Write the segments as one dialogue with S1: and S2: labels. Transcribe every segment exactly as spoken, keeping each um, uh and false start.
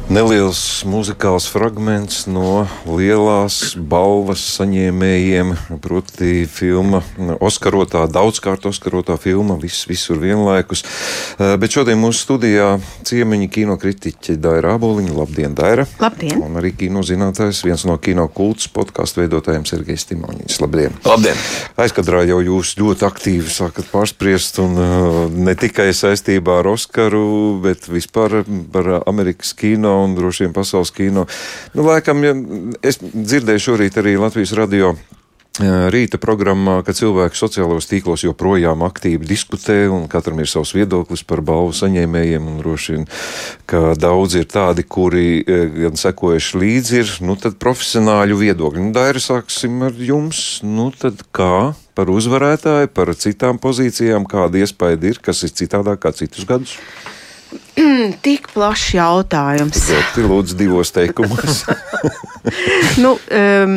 S1: Neliels muzikāls fragments no lielās balvas saņēmējiem, proti filma, oskarotā, daudzkārt oskarotā filma, viss visur vienlaikus. Bet šodien mūsu studijā ciemiņi kinokritiķi Daira Āboliņa. Labdien, Daira!
S2: Labdien!
S1: Un arī kinozinātājs, viens no Kino kults podcastu veidotājiem Sergejs Timoņins. Labdien!
S3: Labdien!
S1: Aizkadrā jau jūs ļoti aktīvi sākat pārspriest, un uh, ne tikai saistībā ar Oskaru, bet vispār par Amerikas kino un droši vien pasaules kino. Nu, laikam, ja, es dzirdēju šorīt arī Latvijas radio rīta programmā, ka cilvēki sociālajos tīklos joprojām aktīvi diskutē un katram ir savs viedoklis par balvu saņēmējiem, un droši vien, ka daudz ir tādi, kuri gan sekojuši līdzi ir, nu tad profesionāļu viedokļi. Nu, Daira, sāksim ar jums. Nu tad kā par uzvarētāju, par citām pozīcijām, kāda iespēja ir, kas ir citādāk kā citus gadus?
S2: Tik plašs jautājums.
S1: Ļoti lūdzu divos teikumos.
S2: nu, um,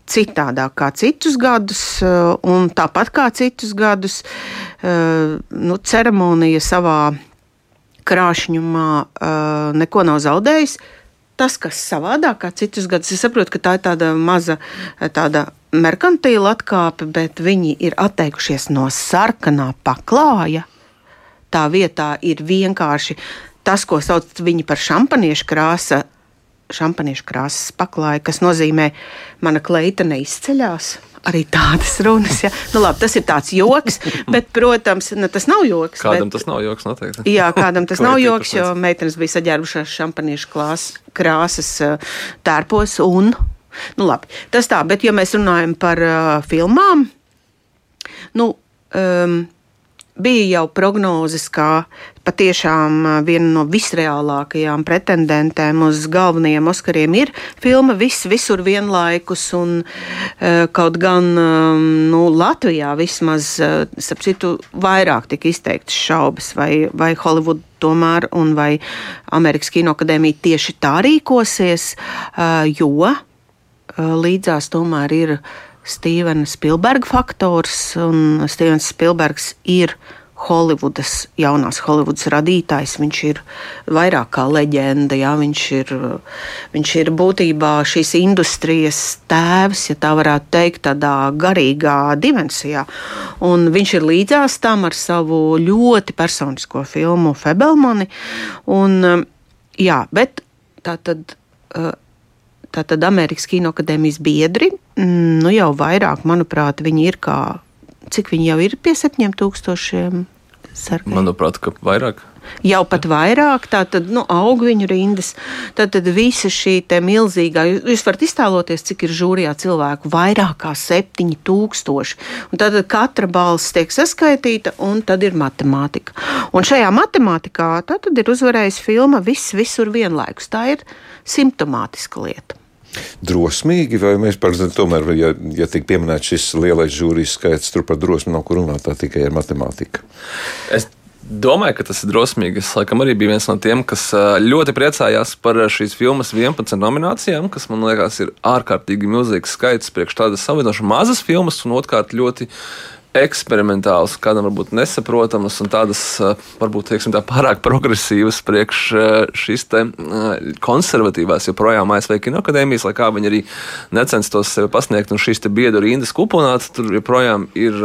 S2: citādāk kā citus gadus, un tāpat kā citus gadus, uh, nu, ceremonija savā krāšņumā uh, neko nav zaudējis. Tas, kas savādāk kā citus gadus, es saprotu, ka tā ir tāda maza tāda merkantīla atkāpe, bet viņi ir atteikušies no sarkanā paklāja. Tā vietā ir vienkārši tas, ko sauc viņi par šampaniešu krāsa, šampaniešu krāsas paklāja, kas nozīmē mana kleita neizceļās. Arī tādas runas, ja. Nu labi, tas ir tāds joks, bet, protams, ne, tas nav joks.
S3: Kādam
S2: bet,
S3: tas nav joks, noteikti.
S2: Jā, kādam tas nav joks, jo meitenes bija saģērbušās šampaniešu klās, krāsas tērpos un, nu labi, tas tā, bet ja mēs runājam par uh, filmām, nu, um, bija jau prognozes, kā patiešām viena no visreālākajām pretendentēm uz galvenajiem Oskariem ir filma Viss visur vienlaikus, un uh, kaut gan um, nu, Latvijā vismaz, uh, starp citu, vairāk tika izteiktas šaubas, vai, vai Hollywood tomēr un vai Amerikas Kinoakadēmija tieši tā rīkosies, uh, jo uh, līdzās tomēr ir Stevena Spilberga faktors, un Stevens Spilbergs ir Hollywoodas, jaunās Hollywoodas radītājs. Viņš ir vairāk kā leģenda, jā, viņš ir, viņš ir būtībā šīs industrijas tēvs, ja tā varētu teikt, tādā garīgā dimensijā. Un viņš ir līdzās tam ar savu ļoti personisko filmu Fabelmani. Un, jā, bet tā tad... Tātad Amerikas Kinoakadēmijas biedri, nu jau vairāk, manuprāt, viņi ir kā, cik viņi jau ir pie septiņiem tūkstošiem sarkai?
S3: Manuprāt, ka vairāk.
S2: Jau pat vairāk, tātad, nu, aug viņu rindas, tātad visa šī te milzīgā, jūs varat iztēloties, cik ir žūrijā cilvēku, vairāk kā septiņi tūkstoši, un tātad katra balss tiek saskaitīta, un tad ir matemātika. Un šajā matemātikā tātad ir uzvarējis filma Viss visur vienlaikus, tā ir simptomātiska lieta.
S1: Drosmīgi, vai mēs par tomēr, ja, ja tiek pieminēts šis lielais žūrijas skaits, tur par drosmi nav kur runāt, tā tikai ir matemātika?
S3: Es domāju, ka tas ir drosmīgi. Es laikam arī biju viens no tiem, kas ļoti priecājās par šīs filmas vienpadsmit nominācijām, kas man liekas ir ārkārtīgi milzīgs skaits priekš tādas salīdzinoši mazas filmas, un otrkārt ļoti eksperimentāls, kādam varbūt nesaprotamas un tādas, varbūt, teiksim tā, pārāk progresīvas priekš šīs te konservatīvās joprojām A S V Kinoakadēmijas, lai kā viņi arī necenstos sevi pasniegt, un šīs te biedu rindas kuponāts, tur joprojām ir,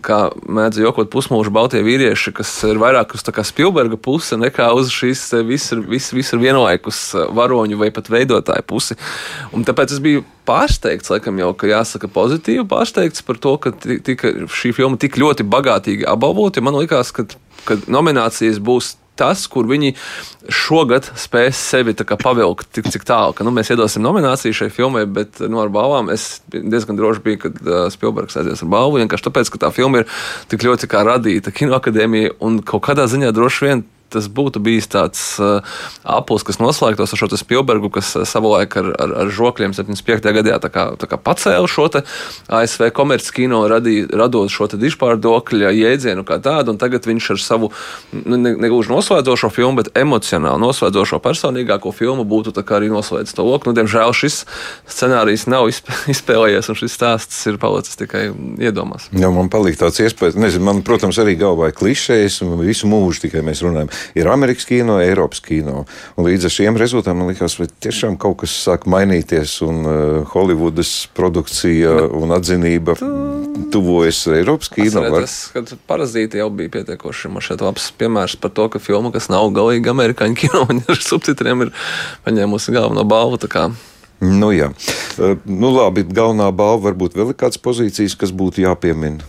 S3: kā mēdz jokot, pusmūžu baltie vīrieši, kas ir vairāk uz tā kā Spilberga puse nekā uz šīs visur, visur, visur vienlaikus varoņu vai pat veidotāju pusi. Un tāpēc es biju pārsteigts, laikam jau, ka jāsaka pozitīvi pārsteigts par to, ka tika šī filma tik ļoti bagātīgi apbalvota. Man likās, ka, ka nominācijas būs tas, kur viņi šogad spēs sevi tā kā pavilkt tik cik tālu, ka nu, mēs iedosim nomināciju šai filmai, bet nu, ar balvām es diezgan droši biju, kad uh, Spilbergs aizies ar balvu, vienkārši tāpēc, ka tā filma ir tik ļoti kā radīta Kinoakadēmija, un kaut kādā ziņā droši vien tas būtu bijis tāds uh, aplis, kas noslēgtos ar šo Spilbergu, kas uh, savulaik ar, ar, ar žokļiem septiņdesmit piektajā gadā tā kā, tā kā pacēla šo te A S V komerckino, radot šo te dižpārdokļa jēdzienu kā tādu, un tagad viņš ar savu ne, ne gluži noslēdzošo filmu, bet emocionāli noslēdzošo personīgāko filmu būtu tā kā arī noslēdz to loku. Nu, diemžēl šis scenārijs nav izspēlējies, un šis stāsts ir palicis tikai iedomās.
S1: Jā, man palīk tāds iespējas, nezinu, man, protams, arī galvā ir klišejas, un visu mūžu tikai mēs runājam. Ir Amerikas kino, Eiropas kino. Un līdz ar šiem rezultātiem man likās, vai tiešām kaut kas sāk mainīties un uh, Holivudas produkcija un atzinība tuvojas Eiropas kino.
S3: Atcerēties, kad Parazīti jau bija pietiekoši. Man šeit labs piemērs par to, ka filma, kas nav galīgi amerikāņu kino, un ar subtitriem ir paņēmusi galveno balvu. Tā kā
S1: Nu, jā. Nu, labi, galvenā balva varbūt vēl ir kādas pozīcijas, kas būtu jāpiemina.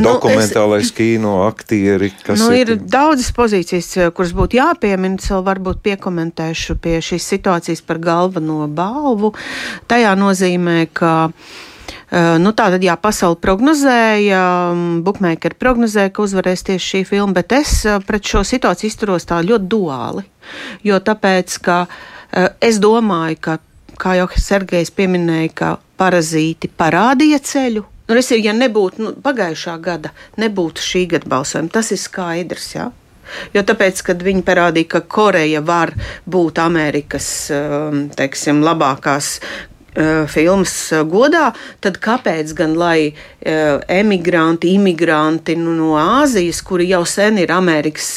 S1: Dokumentālais nu, es, kino, aktieri, kas
S2: nu,
S1: ir...
S2: ir daudzas pozīcijas, kuras būtu jāpiemina, es vēl varbūt piekomentēšu pie šīs situācijas par galveno balvu. Tajā nozīmē, ka nu, tā tad jā, pasauli prognozēja, bukmeikeri prognozēja, ka uzvarēs tieši šī filma, bet es pret šo situāciju izturos tā ļoti duāli, jo tāpēc, ka es domāju, ka, kā jau Sergejs pieminēja, ka Parazīti parādīja ceļu. Nu, es ir, ja nebūtu nu, pagājušā gada, nebūtu šī gada balsojuma, tas ir skaidrs, jā. Jo tāpēc, kad viņi parādīja, ka Koreja var būt Amerikas, teiksim, labākās filmas godā, tad kāpēc gan, lai emigranti, imigranti nu, no Āzijas, kuri jau sen ir Amerikas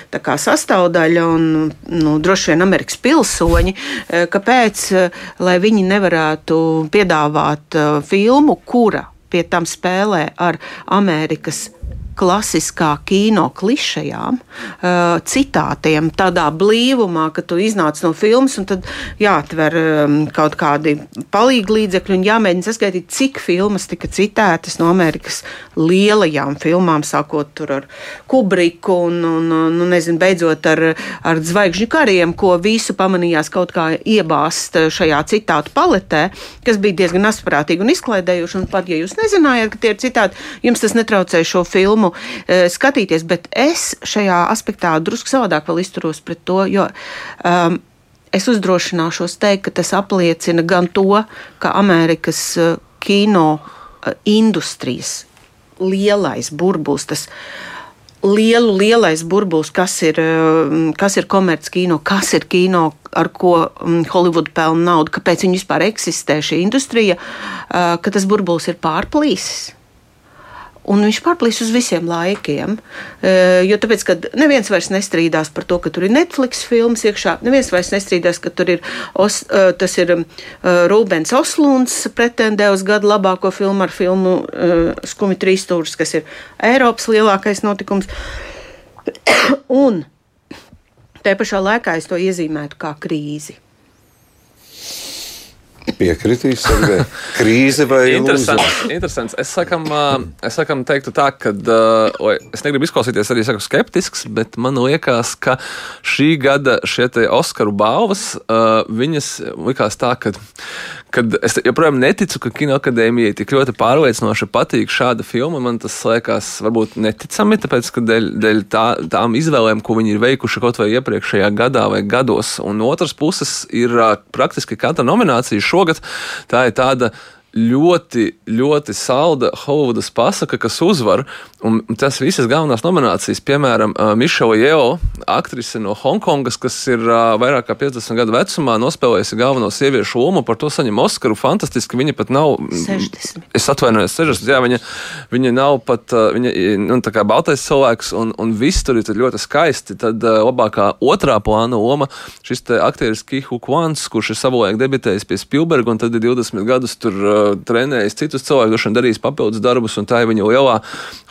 S2: tā kā sastāvdaļa un nu, droši vien Amerikas pilsoņi, kāpēc, lai viņi nevarētu piedāvāt filmu, kura pie tam spēlē ar Amerikas klasiskā kino klišajām, citātiem, tādā blīvumā, ka tu iznāc no filmas un tad jāatver kaut kādi palīglīdzekļi un jāmēģina saskaitīt, cik filmas tika citētas no Amerikas lielajām filmām, sākot tur ar Kubriku un, un nu, nezinu, beidzot ar, ar Zvaigžņu kariem, ko visu pamanījās kaut kā iebāzt šajā citātu paletē, kas bija diezgan asprātīgi un izklaidējuši, un pat, ja jūs nezinājāt, ka tie ir citāti, jums tas netraucēja šo filmu skatīties, bet es šajā aspektā drusku savādāk vēl izturos pret to, jo um, es uzdrošināšos teikt, ka tas apliecina gan to, ka Amerikas uh, kino uh, industrijas lielais burbulis, tas lielu lielais burbulis, kas ir, uh, kas ir komerc kino, kas ir kino, ar ko um, Hollywood pelna naudu, kāpēc viņi vispār eksistē šī industrija, uh, ka tas burbulis ir pārplīsis. Un viņš pārplīs uz visiem laikiem, jo tāpēc, ka neviens vairs nestrīdās par to, ka tur ir Netflix filmas iekšā, neviens vairs nestrīdās, ka tur ir, os, tas ir Rūbens Oslunds pretendē uz gadu labāko filmu ar filmu Skumi trīsstūris, kas ir Eiropas lielākais notikums. Un tajā pašā laikā es to iezīmētu kā krīzi.
S1: Piekritīs, Sergej. Krīze vai
S3: interesants, interesants. Es sakam, es sakam teiktu tā, ka uh, es negribu izklausīties arī saku skeptisks, bet man liekas, ka šī gada šie te Oskaru balvas, uh, viņas likās tā, ka kad es joprojām neticu, ka Kinoakadēmijai tik ļoti pārliecinoši patīk šāda filma. Man tas liekas varbūt neticami, tāpēc, ka dēļ, dēļ tā, tām izvēlēm, ko viņi ir veikuši kaut vai iepriekšējā gadā vai gados. Un no otras puses ir praktiski katra nominācija šogad, tā ir tāda ļoti, ļoti salda Hollywoodas pasaka, kas uzvar, un tas visas galvenās nominācijas, piemēram, Mišela Jeo, aktrise no Hongkongas, kas ir vairāk kā piecdesmit gadu vecumā, nospēlējusi galveno sieviešu lomu, par to saņem Oskaru, fantastiski, viņa pat nav...
S2: sešdesmit.
S3: Es atvainojos, sešdesmit, jā, viņa, viņa nav pat, viņa, nu, tā kā baltais cilvēks, un, un viss tur ir ļoti skaisti, tad labākā otrā plāna loma, šis te aktieris Ke Huy Quans, kurš ir savulaik debitējis pie Spielberga, un tad ir divdesmit gadus tur trenējis citus cilvēkus, droši vien darījis papildus darbus, un tā ir viņa lielā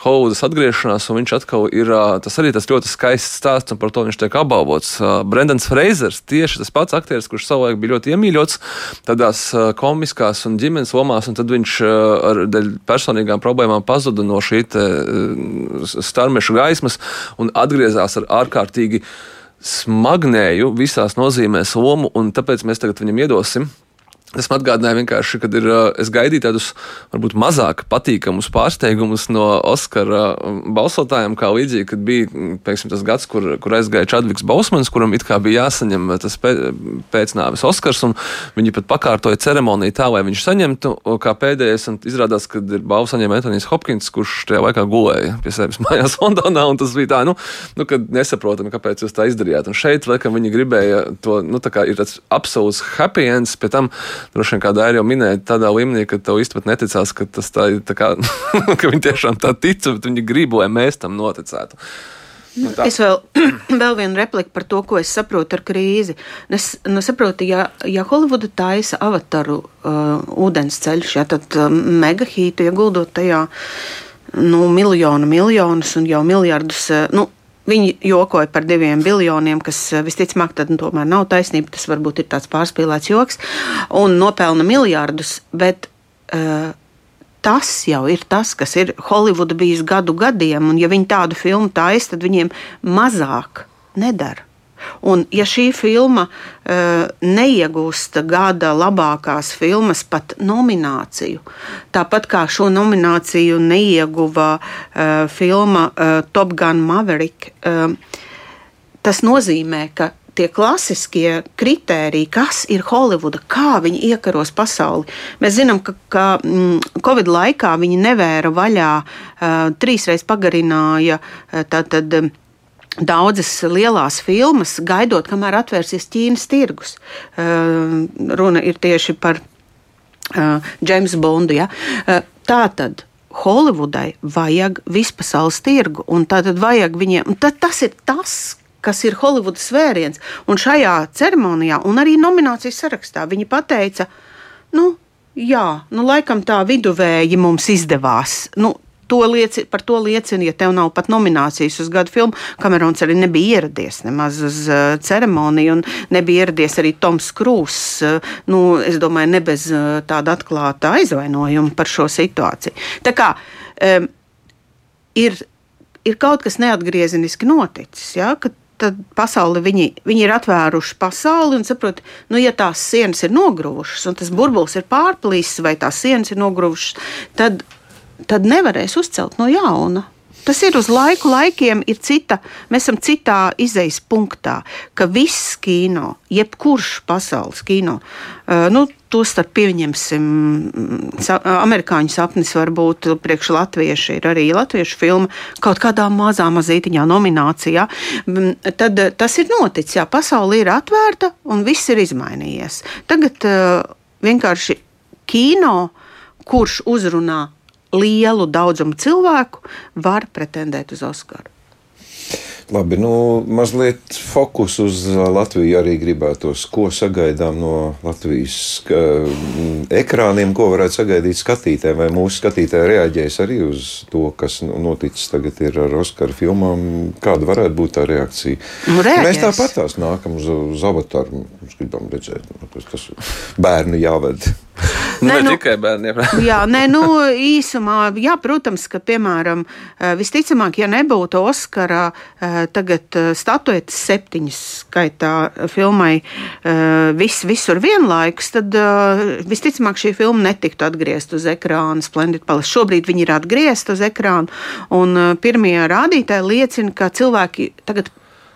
S3: Hollywoodas atgriešanās, un viņš atkal ir, tas arī tas ļoti skaists stāsts, un par to viņš tiek apbalvots. Brendans Freizers, tieši tas pats aktieris, kurš savulaik bija ļoti iemīļots tādās komiskās un ģimenes lomās, un tad viņš ar dēļ personīgām problēmām pazuda no šī te starmešu gaismas un atgriezās ar ārkārtīgi smagnēju visās nozīmēs lomu, un tāpēc mēs tagad viņam iedosim. Tas man atgādināja vienkārši, kad ir, es gaidīju tādus varbūt mazāk patīkamus pārsteigumus no Oskara balsotājiem, kā līdzīgi, kad bija, piemēram, tas gads, kur, kur aizgāja Čadviks Bousmans, kuram it kā bija jāsaņem tas pēcnāves Oskars, un viņi pat pakārtoja ceremoniju tā, lai viņš saņemtu, kā pēdējais, un izrādās, kad ir balvu saņēma Antonijs Hopkins, kurš tajā laikā gulēja pie sevis mājās Londonā, un tas bija tā, nu, nu kad nesaprotami, kāpēc jūs tā izdarījāt. Un šeit, laikam, viņi gribēja to, nu, tā kā ir tāds absolūts happy ends, pie tam droši vien kādā arī jau minēja tādā līmenī, ka tev īsti pat neticās, ka tas tā ir tā kā, ka viņi tiešām tā tic, bet viņi grib, lai mēs tam noticētu.
S2: Nu, es vēl, vēl vienu repliku par to, ko es saprotu ar krīzi. Es nu, saprotu, ja, ja Holivuda taisa Avataru uh, ūdens ceļš, ja, tad uh, megahītu ieguldot tajā nu, miljonu miljonus un jau miljardus. Uh, nu, viņi jokoja par diviem biljoniem, kas uh, visticamāk tad nu, tomēr nav taisnība. Tas varbūt ir tāds pārspīlēts joks un nopelna miljardus, bet uh, tas jau ir tas, kas ir Holivuda bijis gadu gadiem, un ja viņi tādu filmu taisa, tad viņiem mazāk nedara. Un ja šī filma uh, neiegūst gada labākās filmas pat nomināciju, tāpat kā šo nomināciju neieguva uh, filma uh, Top Gun Maverick, uh, tas nozīmē, ka tie klasiskie kritēriji, kas ir Holivuda, kā viņi iekaros pasauli. Mēs zinām, ka, ka mm, Covid laikā viņi nevēra vaļā, uh, trīsreiz pagarināja uh, tātad, um, daudzas lielās filmas, gaidot, kamēr atvērsies Ķīnas tirgus. Uh, runa ir tieši par uh, James Bondu. Ja? Uh, tātad Holivudai vajag vispasaules tirgu, un tātad vajag viņiem, un tad tas ir tas, kas ir Holivudas vēriens. Un šajā ceremonijā un arī nominācijas sarakstā viņi pateica, nu, jā, nu, laikam tā viduvēji mums izdevās. Nu, to lieci, par to liecina, ja tev nav pat nominācijas uz gadu filmu. Kamerons arī nebija ieradies nemaz uz uh, ceremoniju, un nebija ieradies arī Toms Krūss. Uh, nu, es domāju, ne bez uh, tāda atklāta aizvainojuma par šo situāciju. Tā kā um, ir, ir kaut kas neatgriezeniski noticis, ja, ka tad pasauli, viņi, viņi ir atvēruši pasauli un saprot, nu, ja tās sienas ir nogruvušas un tas burbulis ir pārplīsis vai tās sienas ir nogruvušas, tad, tad nevarēs uzcelt no jauna. Tas ir uz laiku laikiem, ir cita, mēs esam citā izejas punktā, ka viss kino, jebkurš pasaules kino, uh, nu, to starp pieņemsim, sa, amerikāņu sapnis varbūt priekš latvieši, ir arī latviešu filma kaut kādā mazā mazītiņā nominācijā, tad tas ir noticis, jā, pasauli ir atvērta un viss ir izmainījies. Tagad uh, vienkārši kino, kurš uzrunā lielu daudzumu cilvēku, var pretendēt uz Oskaru.
S1: Labi, nu, mazliet fokus uz Latviju arī gribētos. Ko sagaidām no Latvijas ka, ekrāniem, ko varētu sagaidīt skatītājiem? Vai mūsu skatītāji reaģēs arī uz to, kas noticis tagad ir ar Oskaru filmām? Kāda varētu būt tā reakcija?
S2: Nu,
S1: mēs tāpat tās nākam uz, uz Avataru. Mēs gribam redzēt, tas, tas bērnu jāved.
S3: Ne,
S2: ne
S3: nu,
S2: tikai
S3: bērniem.
S2: jā, nē, nu, īsumā, jā, protams, ka, piemēram, visticamāk, ja nebūtu Oskara tagad statuetes septiņas skaitā filmai vis, visur vienlaikus, tad visticamāk šī filma netiktu atgriezt uz ekrāna Splendid Palace. Šobrīd viņi ir atgriezt uz ekrānu, un pirmie rādītāji liecina, ka cilvēki tagad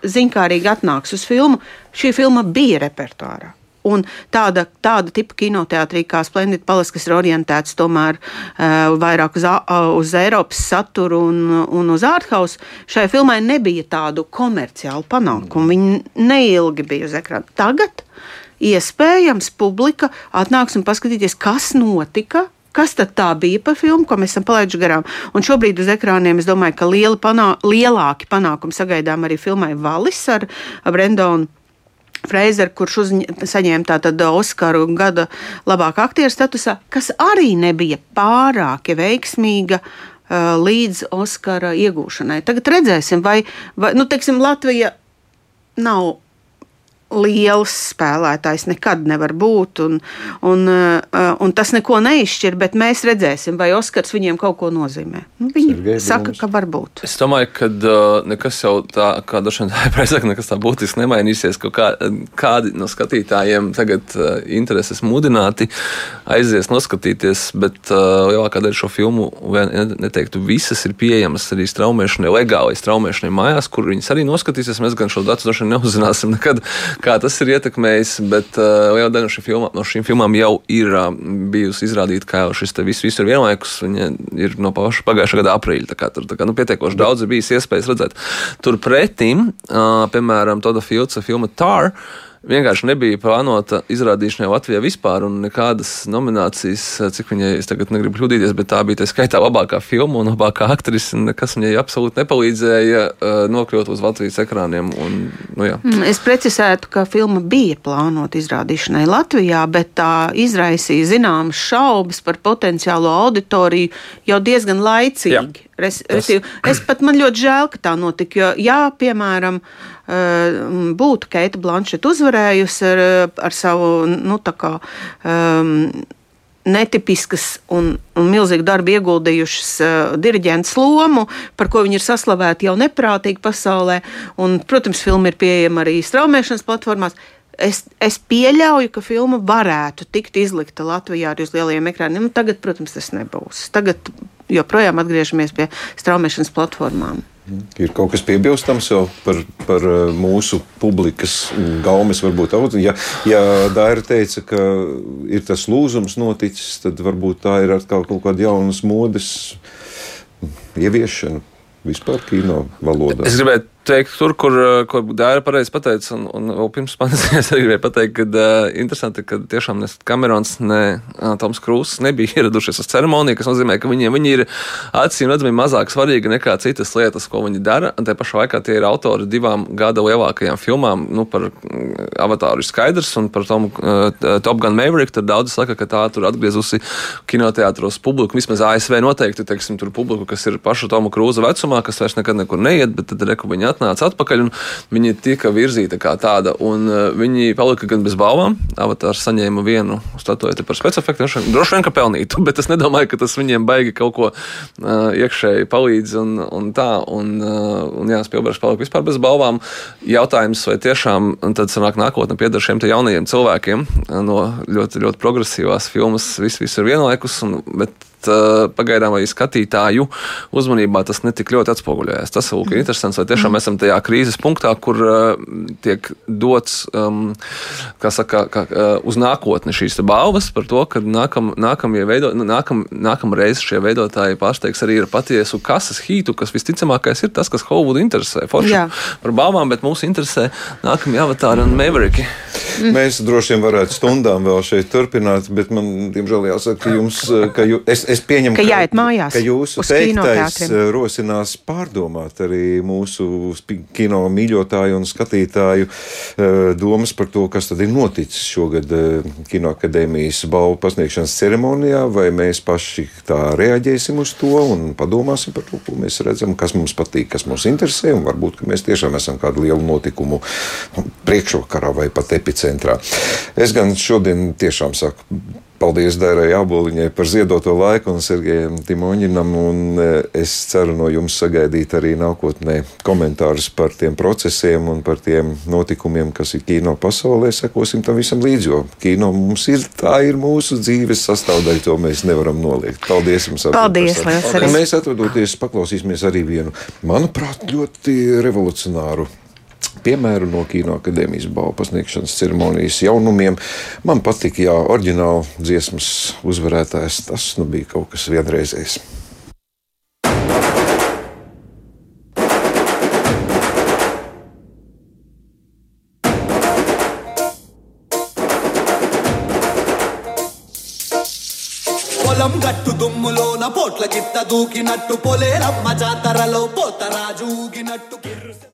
S2: ziņkārīgi atnāks uz filmu. Šī filma bija repertuārā. Un tāda, tāda tipa kinoteātrī kā Splendid Palace, kas ir orientēts tomēr uh, vairāk uz, uh, uz Eiropas saturu un, un uz ārthouse, šai filmai nebija tādu komerciālu panākumu. Viņi neilgi bija uz ekrāna. Tagad iespējams publika atnāks un paskatīties, kas notika, kas tad tā bija par filmu, ko mēs esam palaiduši garām. Un šobrīd uz ekrāniem es domāju, ka lieli panā, lielāki panākumi sagaidām arī filmai Valis ar, ar Brendonu Freizer, kurš uzņ, saņēma tātad Oskaru gada labākā aktiera statusā, kas arī nebija pārāk veiksmīga uh, līdz Oskara iegūšanai. Tagad redzēsim, vai, vai nu, teiksim, Latvija nav liels spēlētājs, nekad nevar būt, un, un, un tas neko neizšķir, bet mēs redzēsim, vai Oskars viņiem kaut ko nozīmē. Nu, viņi Sergei, saka, mums. Ka var būt.
S3: Es domāju, ka uh, nekas jau tā, kā dažiem tā jāpēc, nekas tā būtiski nemainīsies, ka kā, kādi no skatītājiem tagad uh, intereses mudināti aizies noskatīties, bet uh, lielākā daļa šo filmu, neteiktu, visas ir pieejamas arī straumēšanai, legālai straumēšanai mājās, kur viņas arī noskatīsies. Mēs gan šo datu droši neuzzināsim nekad, kā tas ir ietekmējis, bet uh, liela daļa no, filmā, no šīm filmām jau ir uh, bijusi izrādīta, kā jau šis te viss, viss ir vienlaikus. Viņa ir no paša pagājušā gada aprīļa, tā kā tur tā kā, nu, pietiekoši daudz ir bijis iespējas redzēt. Turpretim, uh, piemēram, Toda Fieldsa filma Tar vienkārši nebija plānota izrādīšanai Latvijā vispār, un nekādas nominācijas, cik viņai, es tagad negribu kļūdīties, bet tā bija tā skaitā labākā filma un labākā aktrise, un nekas viņai absolūti nepalīdzēja uh, nokļūt uz Latvijas ekrāniem. Un, nu, jā.
S2: Es precizētu, ka filma bija plānota izrādīšanai Latvijā, bet tā izraisīja zināmas šaubas par potenciālo auditoriju jau diezgan laicīgi. Jā. Res, Tas... Es pat man ļoti žēl, ka tā notika, jo, jā, piemēram, būtu Keita Blanšeta uzvarējusi ar, ar savu, nu, tā kā, um, netipiskas un, un milzīgu darbu ieguldījušas uh, diriģentas lomu, par ko viņi ir saslavēti jau neprātīgi pasaulē, un, protams, filma ir pieejama arī straumēšanas platformās. Es, es pieļauju, ka filma varētu tikt izlikta Latvijā arī uz lielajiem ekrāniem. Tagad, protams, tas nebūs. Tagad joprojām atgriežamies pie straumēšanas platformām.
S1: Ir kaut kas piebilstams jau par, par mūsu publikas gaumes varbūt. Ja, ja Daira teica, ka ir tas lūzums noticis, tad varbūt tā ir atkal kaut kāda jaunas modes ieviešana vispār kino valodā.
S3: Es gribētu teikt, tur, kur, kur Daira pareizi pateica, un, un vēl pirms manis es arī gribēju pateikt, ka uh, interesanti, ka tiešām ne Kamerons, ne uh, Toms Krūzs nebija ieradušies uz ceremoniju, kas nozīmē, ka viņiem viņi ir acīm redzami mazāk svarīgi nekā citas lietas, ko viņi dara, un te pašā laikā tie ir autori divām gada lielākajām filmām, nu, par Avatāru ir skaidrs, un par Tom, uh, Top Gun Maverick, tad daudz saka, ka tā tur atgriezusi kinoteātros publiku, vismaz A S V noteikti, teiksim, tur publiku, kas ir paša Toma Krūza vecumā, kas vairs nekad nekur neiet, bet tad reku viņi atnāca atpakaļ, un viņi tika virzīta kā tāda, un uh, viņi palika gan bez balvām. Avatārs saņēma vienu statueti par specifektiem, droši vien, ka pelnītu, bet es nedomāju, ka tas viņiem baigi kaut ko uh, iekšēji palīdz, un, un tā, un, uh, un jā, Spielbergs palika vispār bez balvām. Jautājums, vai tiešām tad sanāk nākotne pieder šiem te jaunajiem cilvēkiem no ļoti, ļoti progresīvās filmas, viss, viss ir vienlaikus, un, bet pagaidām vai skatītāju uzmanībā tas netik ļoti atspoguļojās. Tas ir mm. interesants, vai tiešām esam tajā krīzes punktā, kur uh, tiek dots um, kā saka, kā, uh, uz nākotni šīs balvas par to, ka nākam, nākamie veido, nākam, nākam reiz šie veidotāji pārsteigs arī ir patiesu kases hītu, kas visticamākais ir tas, kas Hollywoodu interesē. Forši par balvām, bet mūs interesē nākamie Avatāri un Mavericki.
S1: Mm. Mēs droši vien varētu stundām vēl šeit turpināt, bet man, diemžēl, jāsaka, ka jums, ka jū, es, es pieņemu,
S2: ka, jāiet mājās,
S1: ka jūsu teiktais rosinās pārdomāt arī mūsu kino mīļotāju un skatītāju domas par to, kas tad ir noticis šogad Kinoakadēmijas balvu pasniegšanas ceremonijā, vai mēs paši tā reaģēsim uz to un padomāsim par to, ko mēs redzam, kas mums patīk, kas mums interesē, un varbūt, ka mēs tiešām esam kādu lielu notikumu priekšvakarā vai pat epicentrā. Es gan šodien tiešām saku paldies Dairai Āboliņai par ziedoto laiku un Sergejam Timoņinam, un es ceru no jums sagaidīt arī nākotnē komentārus par tiem procesiem un par tiem notikumiem, kas ir kino pasaulē. Sekosim tam visam līdzi, jo kino mums ir, tā ir mūsu dzīves sastāvdaļa, to mēs nevaram noliegt. Paldies jums!
S2: Paldies, liels arī!
S1: Mēs atvadoties paklausīsimies arī vienu, manuprāt, ļoti revolucionāru piemēru no Kinoakadēmijas balvu pasniegšanas ceremonijas jaunumiem. Man patika, jā, oriģināli dziesmas uzvarētājs, tas nu bija kaut kas vienreizējs.
S4: పొలం గట్టు దుమ్ములోన పోట్ల గిట్ట దూకినట్టు పొలేరమ్మ జాతరలో పోతరాజు ఊగినట్టు